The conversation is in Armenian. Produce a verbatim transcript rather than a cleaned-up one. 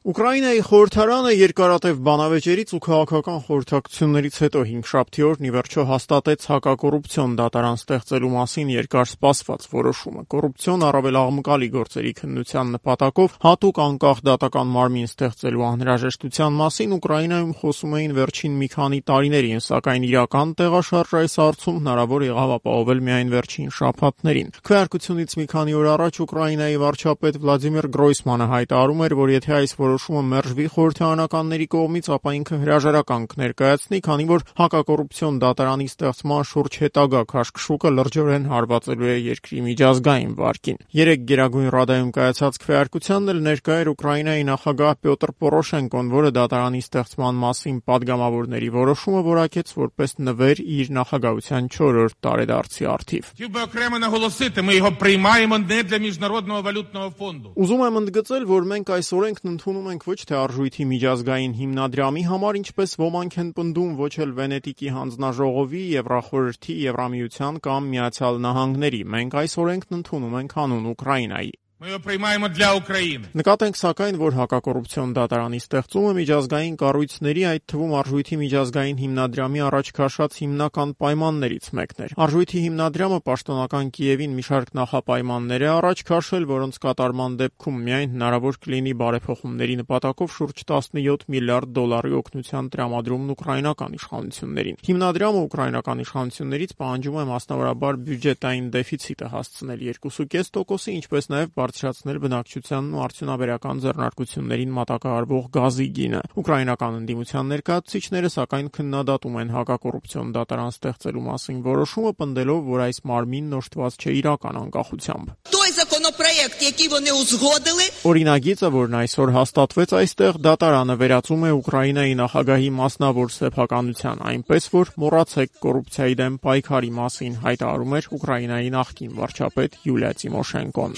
Ուկրաինայի խորհրդարանը երկարատև բանավեճերից ու քաղաքական խորհրդակցություններից հետո հինգշաբթի օրն ի վերջո հաստատեց հակակոռուպցիոն դատարան ստեղծելու մասին երկար սպասված որոշումը։ Կոռուպցիոն առավել աղմկալի գործերի քննության նպատակով հատուկ անկախ դատական մարմին ստեղծելու անհրաժեշտության մասին Ուկրաինայում խոսում էին վերջին մի քանի տարիներին, սակայն իրական տեղաշարժ այս հարցում հնարավոր եղավ ապահովել միայն վերջին շաբաթներին։ Քվեարկությունից մի քանի օր առաջ Ուկրաինայի վարչապետ Վլադիմիր Գրոյսմանը հայտարարում էր, որ եթե այս որոշումը մերժվի խորհրդարանականների կողմից, ապա ինքը հրաժարական կներկայացնի, քանի որ հակակոռուպցիոն դատարանի ստեղծման շուրջ հետագա քաշքշուկը լրջորեն հարվածելու է երկրի միջազգային վարկին։ Երեկ Գերագույն Ռադայում կայացած քվեարկությանն էլ ներկա էր Ուկրաինայի նախագահ Պյոտր Պորոշենկոն, որը դատարանի ստեղծման մասին падգամավորների որոշումը որակեց որպես նվեր իր նախագահության չորրորդ տարեդարձի առթիվ։ Ուզում եմ ընդգծել, որ մենք այս օրենքն ընդունում ենք ոչ թե արժույթի միջազգային հիմնադրամի համար, ինչպես ոմանք են պնդում, ոչ էլ Վենետիկի հանձնաժողովի, Եվրախորհրդի, Եվրամիության կամ Միացյալ Նահանգների։ Մենք այս օրենքն ընդունում ենք հանուն Ուկրաինայի։ Նկատենք սակայն, որ հակակոռուպցիոն դատարանի ստեղծումը միջազգային կառույցների, այդ թվում արժույթի միջազգային հիմնադրամի առաջ քաշած հիմնական պայմաններից մեկն էր։ Արժույթի հիմնադրամը պաշտոնական Կիևին մի շարք նախապայմաններ է առաջ քաշել, որոնց կատարման դեպքում միայն հնարավոր կլինի բարեփոխումների նպատակով շուրջ տասնյոթ միլիարդ դոլարի օգնության տրամադրումն ուկրաինական իշխանություններին։ Հիմնադրամը ուկրաինական իշխանություններից պահանջում է մասնավորաբար բյուջետային դեֆիցիտը հասցնել երկու կողմը կես տոկոսի, ինչպես նաև բարձրացնել բնակչությանն ու արդյունաբերական ձեռնարկություններին մատակարարվող գազի գինը։ Ուկրաինական ընդդիմության ներկայացուցիչները սակայն քննադատում են հակակոռուպցիոն դատարան ստեղծելու մասին որոշումը, պնդելով, որ այս մարմինն օժտված չէ իրական անկախությամբ։ Օրինագիծը, որն այսօր հաստատվեց այստեղ, դատարանը վերածում է Ուկրաինայի նախագահի մասնավոր սեփականության, այնպես որ մոռացեք կոռուպցիայի դեմ պայքարի մասին, հայտարարում էր Ուկրաինայի նախկին վարչապետ Յուլիա Տիմոշենկոն։